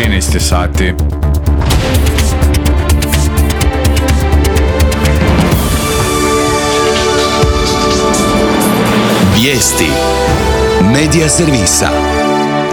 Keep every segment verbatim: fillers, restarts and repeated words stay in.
trinaest je sati. Vijesti Medija servisa.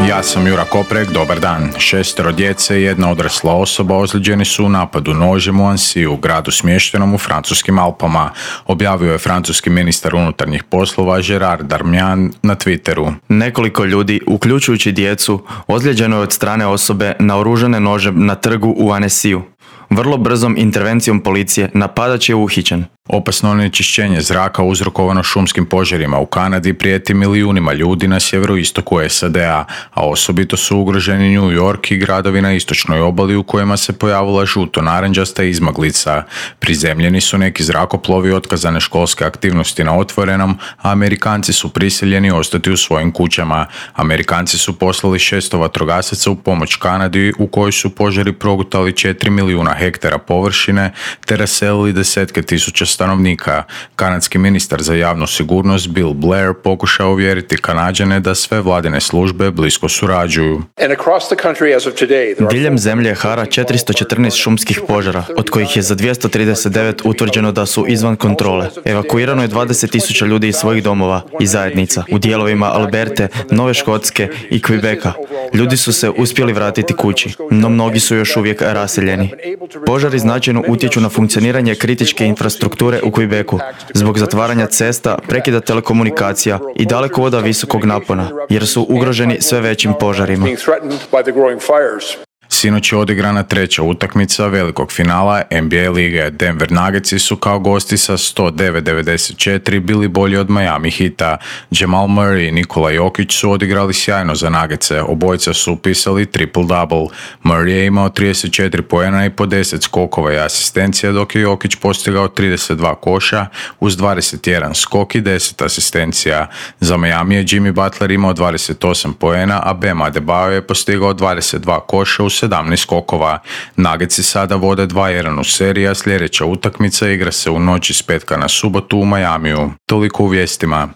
Ja sam Jura Koprek, dobar dan. Šestero djece i jedna odrasla osoba ozlijeđeni su u napadu nožem u Annecy, u gradu smještenom u francuskim Alpama, objavio je francuski ministar unutarnjih poslova Gerard Darmanin na Twitteru. Nekoliko ljudi, uključujući djecu, ozlijeđeno je od strane osobe naoružane nožem na trgu u Annecyju. Vrlo brzom intervencijom policije napadač je uhićen. Opasno onečišćenje zraka uzrokovano šumskim požarima u Kanadi prijeti milijunima ljudi na sjeveroistoku S A D-a, a osobito su ugroženi New York i gradovi na istočnoj obali u kojima se pojavila žuto-naranđasta izmaglica. Prizemljeni su neki zrakoplovi, otkazane školske aktivnosti na otvorenom, a Amerikanci su prisiljeni ostati u svojim kućama. Amerikanci su poslali šesto vatrogasaca u pomoć Kanadi u kojoj su požari progutali četiri milijuna hektara površine te raselili desetke tisuća stanovnika. Kanadski ministar za javnu sigurnost Bill Blair pokušao uvjeriti Kanađane da sve vladine službe blisko surađuju. Diljem zemlje hara četiristo četrnaest šumskih požara, od kojih je za dvjesto trideset devet utvrđeno da su izvan kontrole. Evakuirano je dvadeset tisuća ljudi iz svojih domova i zajednica u dijelovima Alberte, Nove Škotske i Quebeca. Ljudi su se uspjeli vratiti kući, no mnogi su još uvijek raseljeni. Požari značajno utječu na funkcioniranje kritičke infrastrukture u Quebecu zbog zatvaranja cesta, prekida telekomunikacija i dalekovoda visokog napona, jer su ugroženi sve većim požarima. Sinoć je odigrana treća utakmica velikog finala N B A lige. Denver Nuggetsi su kao gosti sa sto devet devedeset četiri bili bolji od Miami Heata. Jamal Murray i Nikola Jokić su odigrali sjajno za Nuggetse, obojica su upisali triple-double. Murray je imao trideset četiri poena i po deset skokova i asistencija, dok je Jokić postigao trideset dva koša uz dvadeset jedan skok i deset asistencija. Za Miami je Jimmy Butler imao dvadeset osam poena, a Bam Adebayo je postigao dvadeset dva koša uz sedamnaest skokova. Nuggetsi sada vode dva jedan u seriji, a sljedeća utakmica igra se u noći s petka na subotu u Miamiju. Toliko u vijestima.